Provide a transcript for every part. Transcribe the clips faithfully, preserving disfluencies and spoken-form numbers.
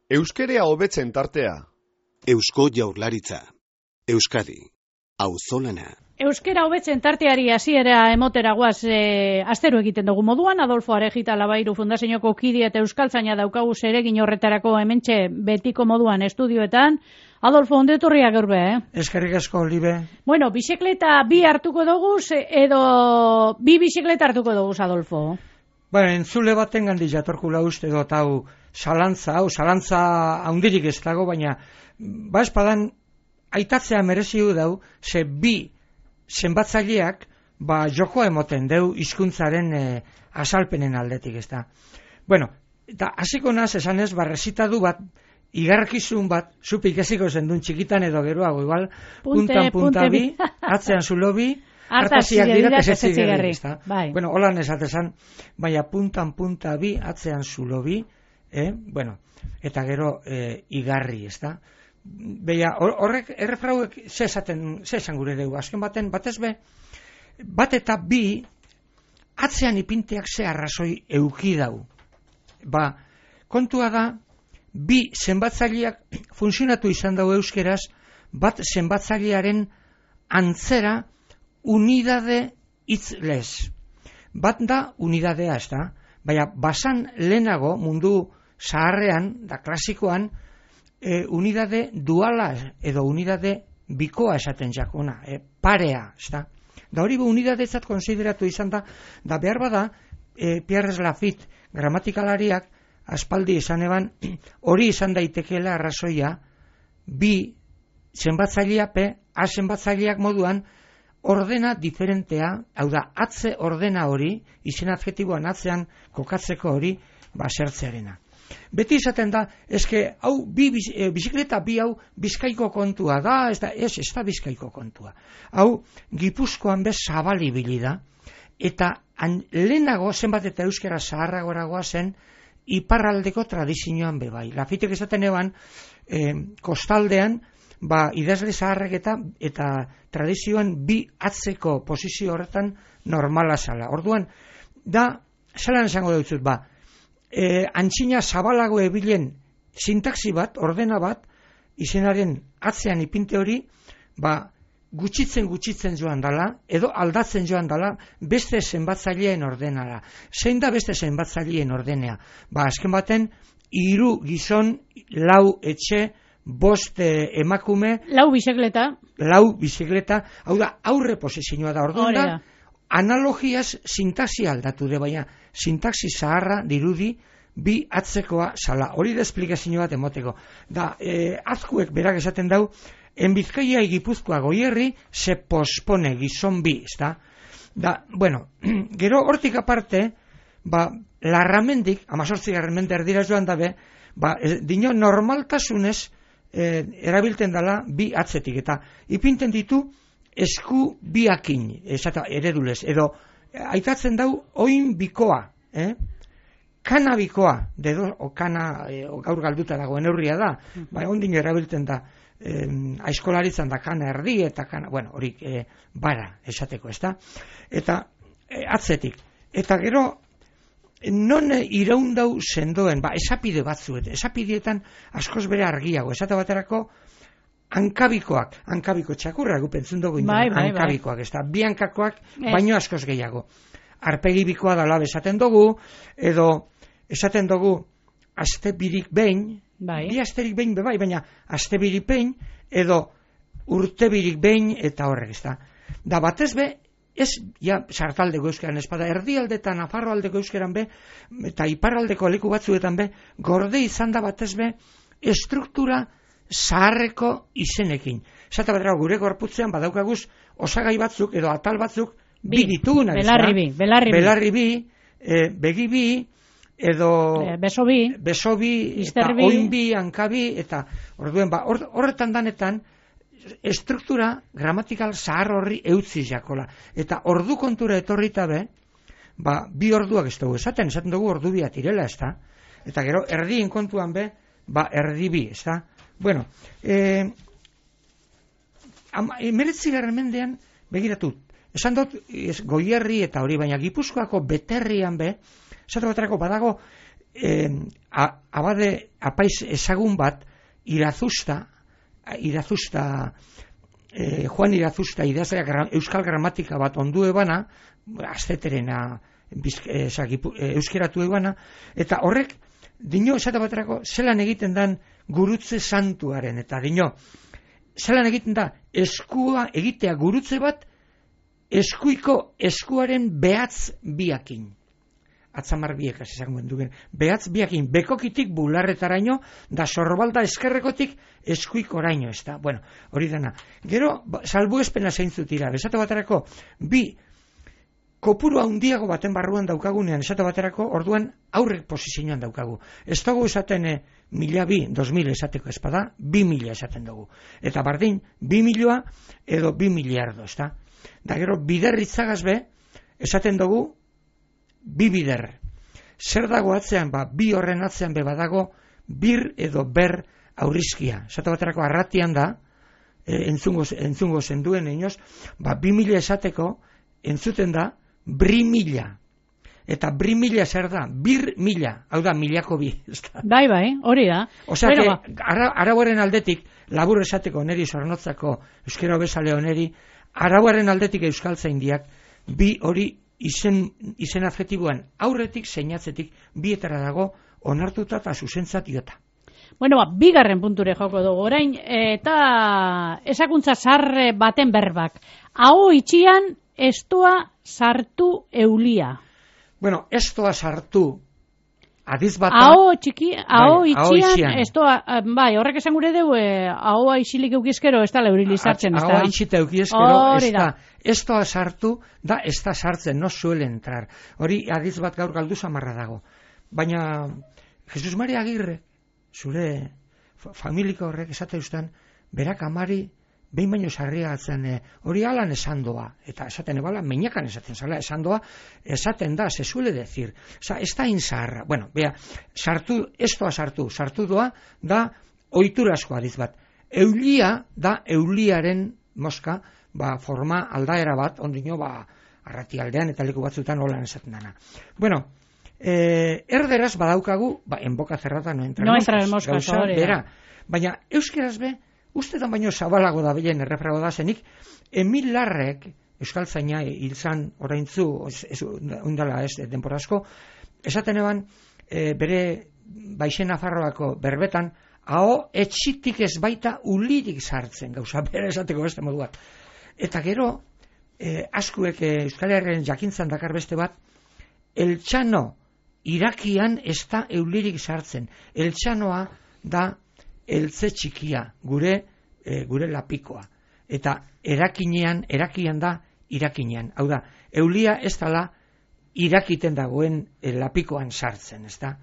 Euskerea hobetzen tartea. Eusko Jaurlaritza. Euskadi. Auzolana. Euskera hobetzen tarteari hasiera emotera guaz e, astero egiten dugu moduan. Adolfo Arejita Labairu Fundazioko kide eta euskaltzaina daukagu zeregin horretarako hementxe betiko moduan estudioetan. Adolfo, ondo etorria gaur be, eh? Eskerrik asko, Libe. Bueno, bizikleta bi hartuko dugu edo bi bizikleta hartuko dugu, Adolfo? Bueno, entzule baten gandi jatorkula uste dut hau zalantza, hau zalantza haundirik ez dago, baina ba espadan aitatzea mereziu dau, ze bi zenbatzaileak ba jokoa emoten deu hizkuntzaren e, azalpenen aldetik, ez da. Bueno, eta hasiko naz esanez, ba rezitadu bat, igarkizun bat, zupik eziko zendun txikitan edo geroago, igual, puntan punta bi, atzean zulo bi, hartaziak dira tesetzigarri, ez da. Bai. Bueno, holan esatezan, baina puntan punta bi, atzean zulo bi, eh? Bueno, eta gero e, igarri, ez da. Beia, horrek, errefrauek, ze esaten, ze esan gure dugu, azken baten, batez be, bat eta bi, atzean ipinteak ze arrazoi euki dau. Ba, kontua da, bi zenbatzaileak funtzionatu izan dau euskeraz, bat zenbatzailearen antzera unidade hitzlez. Bat da unidadea, ez da, baina basan lehenago mundu zaharrean, da klasikoan, E, unidade duala edo unidade bikoa esaten jakona, e, parea, ez da. Da hori bu unidadetzat konsideratu izan da, da behar bada, e, Pierre Lafitte gramatikalariak aspaldi izan eban, hori izan daitekeela arrazoia, bi zenbatzailea pe, a zenbatzaileak moduan, ordena diferentea, hau da, atze ordena hori, izen adjetiboan atzean kokatzeko hori, ba, zertzearena. Beti izaten da, eske, hau, bi, e, bizikleta bi hau Bizkaiko kontua da, ez da, ez, ez da Bizkaiko kontua. Hau, Gipuzkoan bez zabalibili da, eta an, lehenago zenbat eta euskera zaharragoragoa zen, iparraldeko tradizioan bebai. Lafitek esaten eban, e, kostaldean, ba, idazle zaharrek eta, eta tradizioan bi atzeko posizio horretan normala zala. Orduan, da, zelan esango dutzut, ba, E, antxina zabalago ebilen sintaxi bat, ordena bat, izenaren atzean ipinte hori, ba, gutxitzen gutxitzen joan dala, edo aldatzen joan dala, beste zenbatzaileen ordenara. Zein da beste zenbatzaileen ordenea? Ba, azken baten, hiru gizon, lau etxe, bost emakume, lau bizikleta, lau bizikleta, hau da, aurre posizioa da, orduan da, analogiaz sintaxi aldatu de, baina sintaxi zaharra dirudi bi atzekoa sala. Hori da esplikazio bat emoteko. Da, e, azkuek berak esaten dau, en Bizkaia y Gipuzkoa goierri se pospone gizon bi, ezta? Da, bueno, gero hortik aparte, ba, larramendik, amazortzigarren mende erdira joan dabe, ba, e, dino normaltasunez e, erabilten dala bi atzetik, eta ipinten ditu esku biakin, esata eredulez, edo aitatzen dau oin bikoa, eh? Kana bikoa, dedo, o kana, e, o gaur galduta dagoen neurria da, mm-hmm. Ba, ondin erabilten da, eh, aizkolaritzan da kana erdi, eta kana, bueno, horik, eh, bara, esateko, ezta? Eta, eh, atzetik. Eta gero, non iraundau sendoen, ba, esapide batzuet, esapidietan askoz bere argiago, esate baterako, hankabikoak, hankabiko txakurra gupentzun dugu bai, bai, hankabikoak, ez da, bi hankakoak baino askoz gehiago. Arpegi bikoa dala esaten dugu, edo esaten dugu aste birik behin, bai. Bi asterik behin bebai, baina aste birik behin, edo urte birik behin, eta horrek, ez da. Da batez be, ez, ja, sartaldeko euskeran espada, erdialdetan, afarroaldeko euskeran be, eta iparraldeko leku batzuetan be, gorde izan da batez be, estruktura zaharreko izenekin. Zata batera gure gorputzean badaukaguz osagai batzuk edo atal batzuk bi, bi dituguna. Belarri bi, belarri bi. Belarri bi, e, begi bi, edo e, beso bi, beso bi, eta oin bi, hankabi, eta orduen ba, or, horretan danetan estruktura gramatikal zahar horri eutzi jakola. Eta ordu kontura etorrita be, ba, bi orduak ez dugu esaten, esaten dugu ordu biat irela, ez da? Eta gero erdien kontuan be, ba, erdi bi, ez da? Bueno, eh, emeretzigarren mendean, begiratu, esan dut goierri eta hori, baina Gipuzkoako beterrian be, esatu baterako badago eh, abade apaiz ezagun bat, Irazusta, Irazusta, eh, Juan Irazusta idazlea gra, euskal gramatika bat ondu ebana, azteterena eh, euskeratu ebana, eta horrek, dino esate baterako, zelan egiten dan gurutze santuaren, eta dino, zelan egiten da, eskua egitea gurutze bat, eskuiko eskuaren behatz biakin. Atzamar biek, hasi zango dugen. Behatz biakin, bekokitik bularretaraino, da sorbalda eskerrekotik eskuikoraino, ez da. Bueno, hori dena. Gero, salbu espena zeintzut dira. Esate baterako, bi, kopuru handiago baten barruan daukagunean, esate baterako, orduan aurrek posizioan daukagu. Ez dugu esaten e, mila bi, dos mil esateko espada, bi mila esaten dugu. Eta bardin, bi milioa edo bi miliardo, ez da. Da gero, biderritzagaz be, esaten dugu, bi bider. Zer dago atzean, ba, bi horren atzean be badago, bir edo ber aurrizkia. Esate baterako arratian da, e, entzungo, entzungo zenduen inoz, ba, bi mila esateko, entzuten da, bri mila. Eta bri mila zer da, bir mila, hau da, milako bi. Bai, bai, hori da. Osea, ba. ara, arauaren aldetik, labur esateko neri zornotzako, euskera bezale oneri, arauaren aldetik euskaltzaindiak, bi hori izen, izen adjetiboan aurretik, seinatzetik, bietara dago, onartuta eta zuzentzat diota. Bueno, ba, bigarren punture joko dugu orain, eta esakuntza sarre baten berbak. Aho itxian, estoa sartu eulia. Bueno, estoa sartu, adiz bat... Aho txiki, aho bai, itxian, estoa, bai, horrek esan gure dugu, ahoa ixilik eukizkero, ez da leurili sartzen, ez da? Ahoa itxita eukizkero, ez da. Estoa sartu, da, ez da sartzen, no suele entrar. Hori, adiz bat gaur galdu samarra dago. Baina, Jesus Maria Agirre, zure familiko horrek esate ustan, berak amari, behin baino sarria atzen, hori e, alan esan doa, eta esaten ebala, meinakan esaten zala, esan doa, esaten da, se suele decir. Osa, ez da inzarra. Bueno, bea, sartu, estoa sartu, sartu doa, da, oiturasko adiz bat. Eulia, da, euliaren moska, ba, forma aldaera bat, ondino, ba, arrati aldean, eta leku batzutan holan esaten dana. Bueno, eh, erderaz badaukagu, ba, en boca cerrada no entra no entra moscas, gauza, bera. Baina, euskeraz be, ustetan baino zabalago da bilen errefrago da zenik, Emil Larrek, euskaltzaina hilzan oraintzu, ez, undala ez, denporazko, esaten eban, e, bere Baixen Nafarroako berbetan, aho etxitik ez baita ulirik sartzen, gauza, bere esateko beste modu bat. Eta gero, e, askuek e, Euskal Herriaren jakintzan dakar beste bat, eltxano irakian ez da eulirik sartzen. Eltxanoa da eltze txikia, gure e, gure lapikoa. Eta erakinean, erakian da irakinean. Hau da, eulia ez dala irakiten dagoen e, lapikoan sartzen, ez da?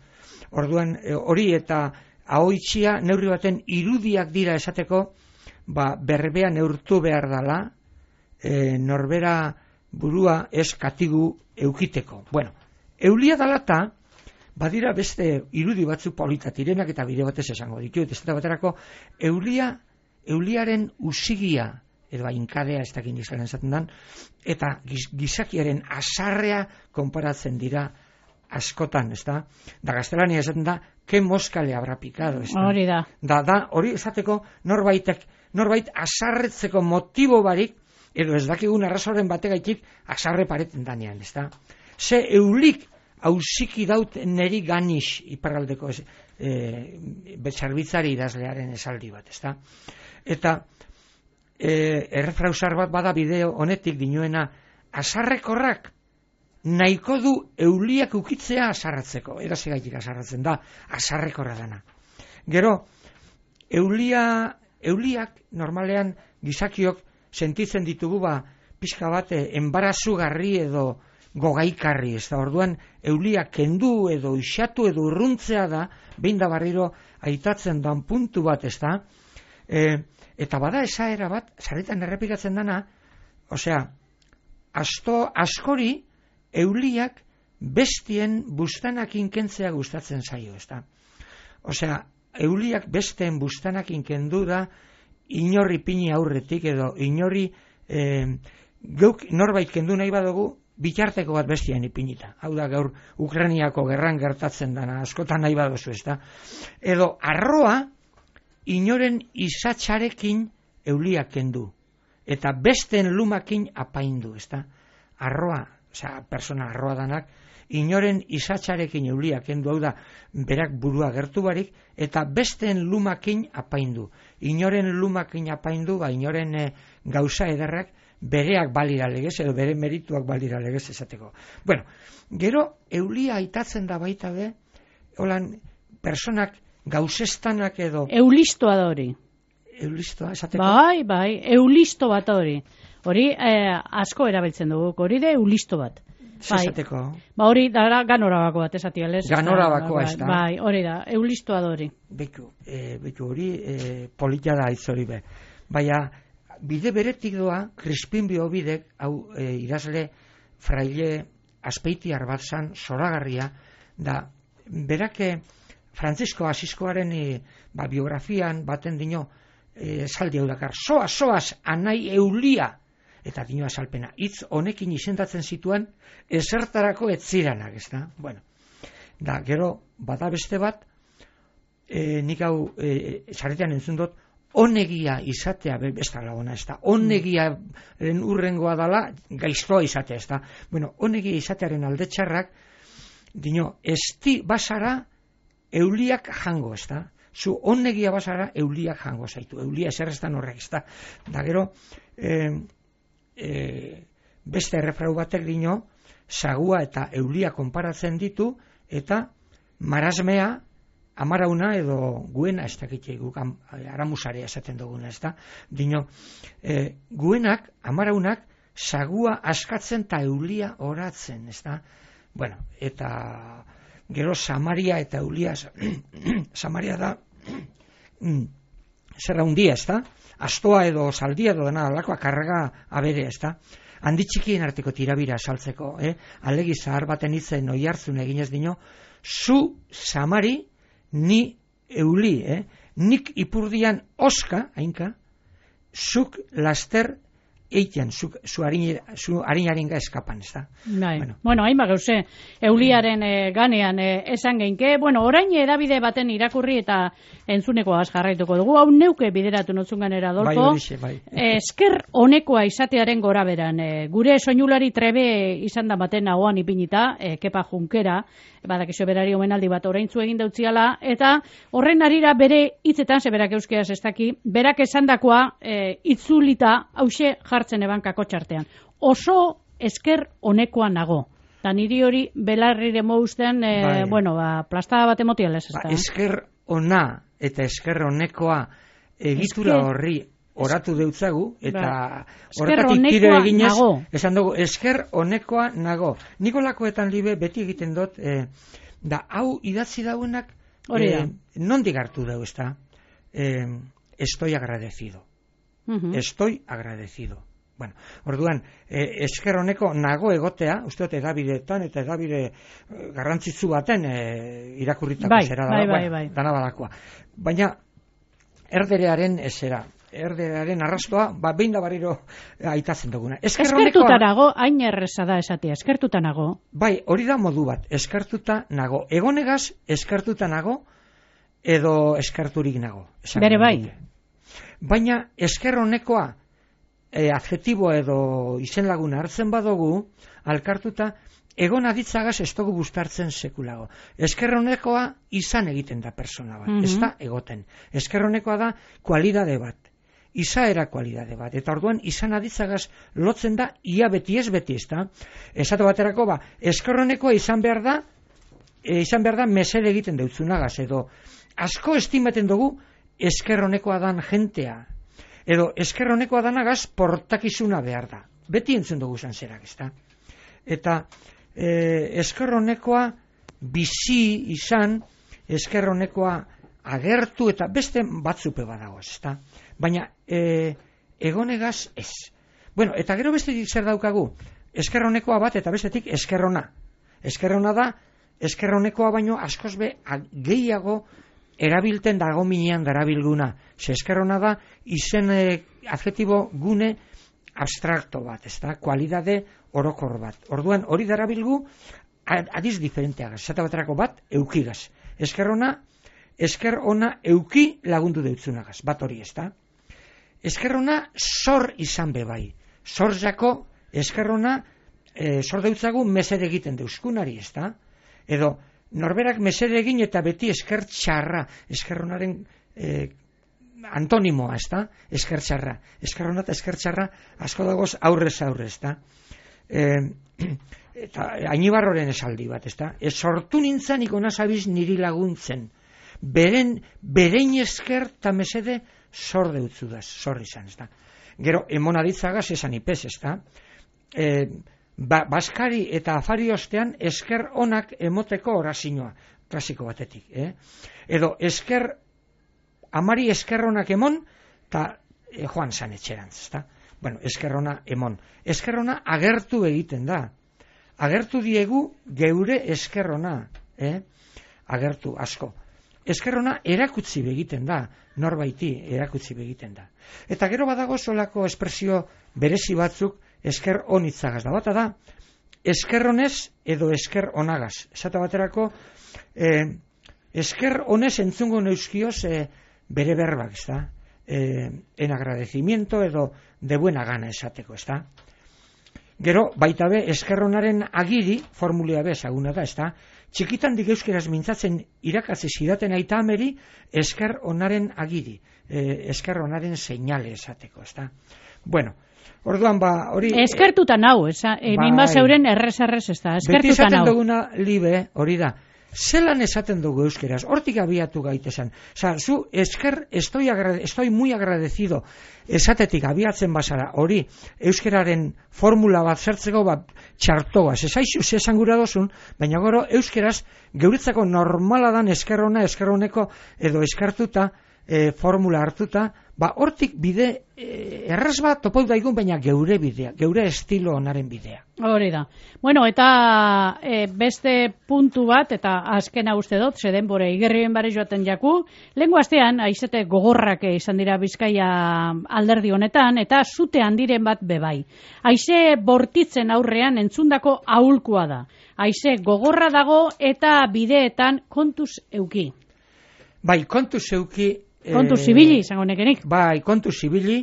Orduan, e, hori eta ahoitxia neurri baten irudiak dira esateko, ba, berbea neurtu behar dala, e, norbera burua ez katigu eukiteko. Bueno, eulia dalata, badira beste irudi batzu politatirenak eta bide batez esango ditu, ez da baterako, eulia, euliaren usigia, edo inkadea ez dakin izan esaten dan, eta giz, gizakiaren asarrea konparatzen dira askotan, ez da? Da gaztelania esaten da, ke mosca le habrá picado, ez da? Hori da. Da, da, hori esateko norbaitek, norbait asarretzeko motibo barik, edo ez dakigun arrazoren bategaitik asarre pareten danean, ez da? Ze eulik hausiki daut neri ganix iparraldeko e, betxarbitzari idazlearen esaldi bat, ez da? Eta e, errefrausar bat bada bideo honetik dinoena, asarrekorrak nahiko du euliak ukitzea asarratzeko, edazegaitik asarratzen da, asarrekorra dana. Gero, eulia, euliak normalean gizakiok sentitzen ditugu ba, pixka bat enbarazugarri edo gogaikarri, ez da, orduan euliak kendu edo isatu edo urruntzea da, behin da barriro aitatzen dan puntu bat, ez da, e, eta bada esaera bat, sarritan errepikatzen dana, osea, asto, askori euliak bestien bustanakin kentzea gustatzen zaio, ez da. Osea, euliak besteen bustanakin kendu da, inorri pini aurretik edo inorri, e, geuk norbait kendu nahi badugu, bitarteko bat bestian ipinita. Hau da gaur Ukrainiako gerran gertatzen dana, askotan nahi badozu, ezta? Edo arroa inoren izatxarekin euliak kendu, eta besteen lumakin apaindu, ezta? Arroa, osea, persona arroa danak, inoren izatxarekin euliak kendu, hau da, berak burua gertu barik, eta besteen lumakin apaindu. Inoren lumakin apaindu, ba, inoren e, gauza ederrak, bereak balira legez, edo bere merituak balira legez esateko. Bueno, gero, eulia aitatzen da baita be, holan, personak gauzestanak edo... Eulistoa da hori. Eulistoa, esateko? Bai, bai, eulisto bat hori. Hori eh, asko erabiltzen dugu, hori de eulisto bat. Bai. Esateko? Ba hori, da ganorabako bat, esati, alez? Ganorabako, ez da? Bai, hori da, eulistoa da hori. Beku, e, beku hori e, polita da hitz hori be. Baina, bide beretik doa, Crispin Biobidek, hau e, idazle fraile azpeitiar bat zan, zoragarria, da, berake Francisco Asiskoaren e, ba, biografian baten dino, e, zaldi hau dakar, soaz, soaz, anai eulia, eta dino azalpena, hitz honekin izendatzen zituen, ezertarako etziranak, ez da? Bueno, da, gero, bada beste bat, e, nik hau, e, zaretean entzun dut, onegia izatea, ez da laguna, ez da, onegiaren urrengoa dala, gaiztoa izatea, ez da. Bueno, onegia izatearen alde txarrak, dino, esti basara, euliak jango, ez da. Zu onegia basara, euliak jango zaitu, eulia eserreztan horrek, ez da. Da gero, eh, eh, beste errefrau batek dino, sagua eta eulia konparatzen ditu, eta marasmea, amarauna edo guena, ez dakitxe guk aramusarea esaten duguna, ez da? Dino, e, guenak, amaraunak, sagua askatzen eta eulia oratzen, ez da? Bueno, eta gero Samaria eta eulia, Samaria da, zerra hundia, ez da? Astoa edo zaldia edo dena alakoa karga abere, ez da? Handi txikien arteko tirabira saltzeko, eh? Alegi zahar baten itzen oi hartzun eginez dino, zu Samari, ni euli, eh? Nik ipurdian oska, hainka, zuk laster eitean, zuk, zu harinaringa eskapan, ez da? Bai. Bueno, bueno hainba gauze, euliaren e, ganean e, esan geinke, bueno, orain edabide baten irakurri eta entzuneko az jarraituko dugu, hau neuke bideratu notzun ganera, Adolfo, bai, horixe, bai. Esker honekoa izatearen gora beran, e, gure soinulari trebe izan da baten nagoan ipinita, e, Kepa Junkera, badakizu berari omenaldi bat oraintzu egin dautziala, eta horren arira bere hitzetan, ze berak euskeraz ez daki, berak esandakoa e, itzulita hause jartzen ebankako txartean. Oso esker honekoa nago. Da niri hori belarrire mousten, e, bai. Bueno, ba, plastada bat emotialez ez da. Ba, esker ona eta esker honekoa egitura esker... horri oratu deutzagu, eta ba. Horretatik tiro eginez, nago. Esan dugu, esker honekoa nago. Nikolakoetan libe beti egiten dut, eh, da hau idatzi dauenak, eh, nondik hartu dau, ez da? Eh, estoy agradecido. Uh-huh. Estoy agradecido. Bueno, orduan, eh, esker honeko nago egotea, uste dut edabideetan eta edabide eh, garrantzitsu baten eh, irakurritako bai, zera bai, da, bai, bai. dana badakoa. Baina, erderearen ezera, erderearen arrastoa, ba, behin da barriro aitatzen duguna. Eskertuta nago, hain erreza da esatia, eskertuta nago. Bai, hori da modu bat, eskertuta nago. Egonegaz, eskertuta nago, edo eskerturik nago. Bere bai. Baina, esker honekoa, e, adjetibo edo izen laguna hartzen badugu, alkartuta, egon aditzagaz ez dugu bustartzen sekulago. Esker honekoa izan egiten da persona bat, mm-hmm. ez da egoten. Esker honekoa da kualidade bat, izaera kualidade bat, eta orduan izan aditzagaz lotzen da ia beti ez beti, ez da? Esatu baterako ba, esker honekoa izan behar da, e, izan behar da mesede egiten deutzunagaz, edo asko estimaten dugu esker honekoa dan jentea, edo esker honekoa danagaz portakizuna behar da. Beti entzun dugu zan zerak, ez da? Eta eh, esker honekoa bizi izan, esker honekoa agertu, eta beste batzupe badago, ez da? Baina eh, egonegaz ez. Bueno, eta gero bestetik zer daukagu? Esker honekoa bat eta bestetik esker hona. Esker hona da, esker honekoa baino askoz be gehiago erabilten dago minean darabilguna. Ze esker hona da, izen eh, adjetibo gune abstrakto bat, ez da, kualidade orokor bat. Orduan, hori darabilgu, adiz diferenteak, esate baterako bat, eukigaz. Esker ona, esker ona euki lagundu deutzunagaz, bat hori, ez da. Esker ona, zor izan bebai. Zor jako, esker ona, e, zor deutzagu mesede egiten deuskunari, ez da. Edo, norberak mesede egin eta beti esker txarra, esker onaren e, antonimoa, ez da, esker txarra. Esker ona eta esker txarra, asko dagoz aurrez aurrez, ez da. E, eta Ainibarroren esaldi bat, ez da. Ez sortu nintzen ikona zabiz niri laguntzen. Beren, berein esker eta mesede zor deutzudaz, zor izan, ez da. Gero, emona ditzagaz esan ipez, ez da. E, ba, Baskari eta afari ostean esker onak emoteko orazioa, klasiko batetik. Eh? Edo esker, amari esker onak emon, eta e, joan zan etxerantz, ez da. Bueno, esker ona emon. Esker ona agertu egiten da. Agertu diegu geure esker ona, eh? Agertu asko. Esker ona erakutsi begiten da, norbaiti erakutsi begiten da. Eta gero badago solako espresio berezi batzuk esker onitzagaz da. Bata da, esker honez edo esker onagaz. Esate baterako, eh, esker honez entzungo neuskioz eh, bere berbak, ez da? Eh, en agradecimiento edo de buena gana esateko, ez da? Gero, baita be, esker honaren agiri, formulea be, ezaguna da, ez da? Txikitan dik euskeraz mintzatzen irakatzi zidaten aita ameri, esker honaren agiri, eh, esker honaren seinale esateko, ez da? Bueno, orduan ba, hori... Eskertuta nau, esa, e, bai, minba zeuren errez-errez ez da, eskertuta nau. Beti esaten duguna, libe, hori da, zelan esaten dugu euskeraz, hortik abiatu gaitezen. Osa, zu, esker, estoy, estoy muy agradecido, esatetik abiatzen bazara, hori, euskeraren formula bat zertzeko, bat, txartoaz, esaizu zesan gura dozun, baina gero, euskeraz, geuretzako normala dan eskerrona, eskerroneko, edo eskartuta, e, formula hartuta, ba, hortik bide, e, erraz bat topau daigun, baina geure bidea, geure estilo onaren bidea. Hori da. Bueno, eta e, beste puntu bat, eta azkena uste dut, zeden bore, igerrien bare joaten jaku, lehenko astean, aizete gogorrak izan dira Bizkaia alderdi honetan, eta zute handiren bat bebai. Aize bortitzen aurrean entzundako ahulkoa da. Aize gogorra dago eta bideetan kontuz euki. Bai, kontuz euki... Kontu zibili, izango nekenik. Bai, kontu zibili,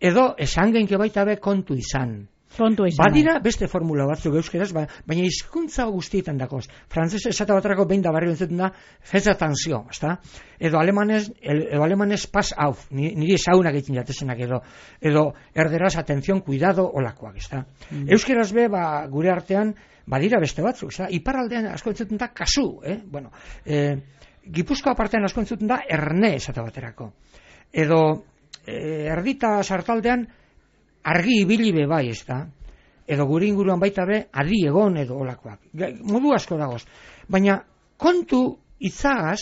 edo esan genke baita be kontu izan. Kontu izan. Badira beste formula batzuk euskeraz, ba, baina hizkuntza guztietan dakoz. Frantzes esate baterako behin da barri entzuten da, fez atanzio, ezta? Edo alemanez, edo alemanez pas auf, niri esaunak egiten jatezenak, edo, edo erderaz atenzion, cuidado, olakoak, ezta? Mm. Euskeraz be, ba, gure artean, badira beste batzuk, ezta? Iparraldean asko entzuten da kasu, eh? Bueno, eh, Gipuzkoa partean asko entzuten da erne esate baterako. Edo e, erdita sartaldean argi ibili be bai, ez da? Edo gure inguruan baita be adi egon edo olakoak. Modu asko dagoz. Baina kontu itzagaz,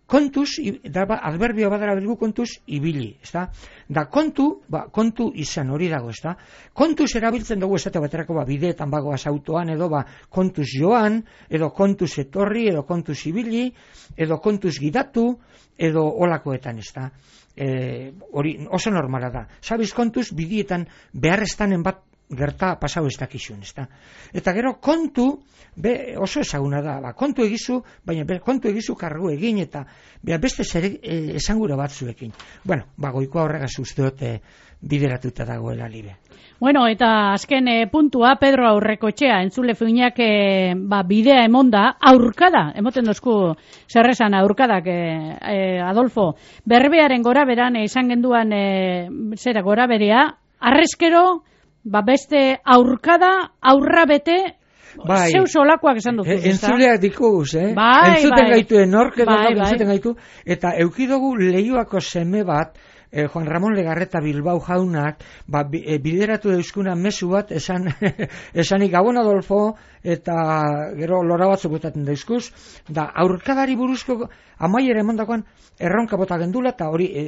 kontuz, da ba, adverbio badara bilgu kontuz ibili, ez da? Da kontu, ba, kontu izan hori dago, ez da? Kontuz erabiltzen dugu esate baterako ba, bideetan bagoaz autoan, edo ba, kontuz joan, edo kontuz etorri, edo kontuz ibili, edo kontuz gidatu, edo olakoetan, ez da? E, hori oso normala da. Sabiz kontuz bidietan beharrestanen bat gerta pasau ez dakizun, ez da? Eta gero kontu, be, oso ezaguna da, ba, kontu egizu, baina be, kontu egizu kargu egin, eta be, beste zer e, esangura batzuekin. Bueno, ba, goikoa horregaz usteot e, bideratuta dagoela libe. Bueno, eta azken e, puntua, Pedro Aurrekotxea, entzule fuinak e, ba, bidea emonda, aurkada, emoten dozku zerrezan aurkadak, e, e, Adolfo, berbearen gora beran, izan e, genduan, e, zera gora berea, arrezkero, ba beste aurkada, aurra bete, bai, zeu solakoak esan duzu. E, entzuleak dikuz, eh? Bai, entzuten bai. gaitu, enork edo bai, bai. entzuten bai. gaitu, eta eukidogu Leioako seme bat, eh, Juan Ramon Legarreta Bilbao jaunak, ba, bideratu euskuna mezu bat, esan, esanik Gabon Adolfo, eta gero lora batzuk botaten dauzkuz, da aurkadari buruzko amaiera emandakoan erronka bota gendula, eta hori e,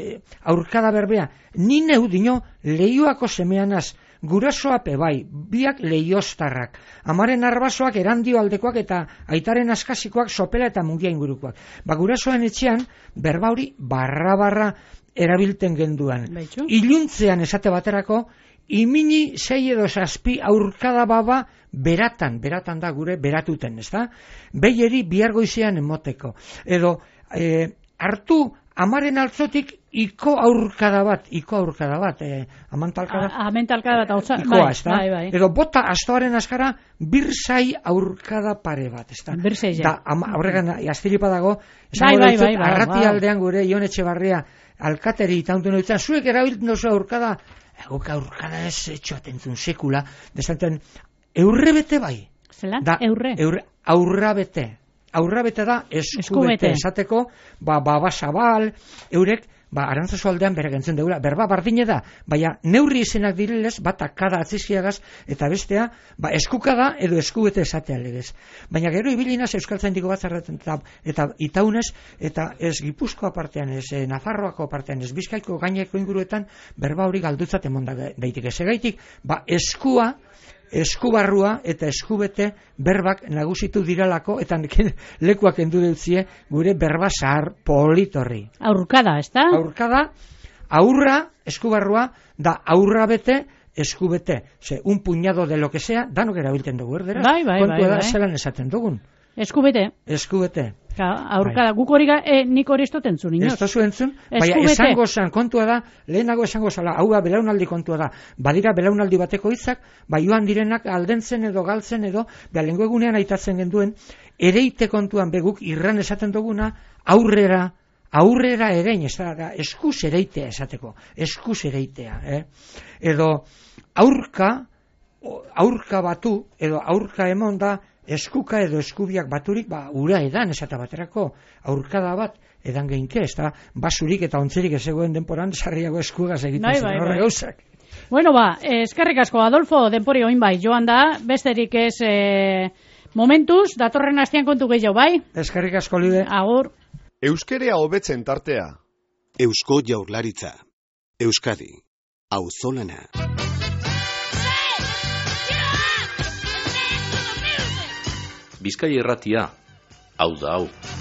aurkada berbea, ni neu dino Leioako semeanaz, gurasoa bai, biak leioztarrak, amaren arbasoak erandio aldekoak eta aitaren askasikoak sopela eta mungia ingurukoak. Ba, gurasoen etxean, berbauri barra-barra erabilten genduan. Baitu? Iluntzean esate baterako, imini sei edo zazpi aurkada baba beratan, beratan da gure beratuten, ez da? Behieri bihar goizean emoteko. Edo, e, hartu amaren altzotik iko aurkada bat, iko aurkada bat, e, amantalkada. Amentalkada bat, hau ikoa, ez da? Bai, bai. Edo bota astoaren askara, birzai aurkada pare bat, ez da? Birzai, ja. Da, horregan, astilipa dago, bai, bai, bai, bai, arrati bai. aldean gure Ion Etxebarria alkateri itauntu noitzen, zuek erabiltzen dozu aurkada, egok aurkada ez etxoatentzun sekula, desanten, eurre bete bai. Zela? Da, eurre? Eurre, aurra bete. Aurra bete da, eskubete esateko, ba, baba zabal, eurek, ba, Arantzazu aldean bere gentzen deula, berba bardine da, baina neurri izenak direlez, bata kada atzizkiagaz, eta bestea, ba, eskukada edo eskubete esatea legez. Baina gero ibilinaz Euskaltzaindiko batzarretan, eta, eta itaunez, eta ez Gipuzkoa partean, ez eh, Nafarroako partean, ez Bizkaiko gaineko inguruetan, berba hori galdutzat emonda daitik. Ezegaitik, ba, eskua, eskubarrua eta eskubete berbak nagusitu diralako eta lekuak endu deutzie gure berba zahar politorri. Aurkada, ez da? Aurkada, aurra, eskubarrua, da aurra bete, eskubete. Ze, un puñado de lo que sea, danok erabiltzen dugu, erdera? Bai, bai, kontua bai, da, bai. zelan esaten dugun. Eskubete. Eskubete. Ka, aurkada, guk hori, e, nik hori estoten zuen, inoz. Ez tozu entzun, baina esango zan, kontua da, lehenago esango zala, hau da belaunaldi kontua da, badira belaunaldi bateko hitzak, bai joan direnak aldentzen edo galtzen edo, ba, lengo egunean aitatzen genduen, ereite kontuan beguk irran esaten duguna, aurrera, aurrera erein, ez da, eskuz ereitea esateko, eskuz ereitea, eh? Edo, aurka, aurka batu, edo aurka emon da, eskuka edo eskubiak baturik, ba, ura edan esata baterako, aurkada bat, edan geinke, ez da, basurik eta ontzerik ezegoen denporan, sarriago eskuegaz egiten bai, zen, bai, horre bai. gauzak. Bueno, ba, eskerrik asko, Adolfo, denpori oin bai, joan da, besterik ez e, momentuz, datorren astean kontu gehiago, bai? Eskerrik asko, Lide. Agur. Euskerea hobetzen tartea. Eusko Jaurlaritza. Euskadi. Auzolana. Bizkai irratia, hau da hau.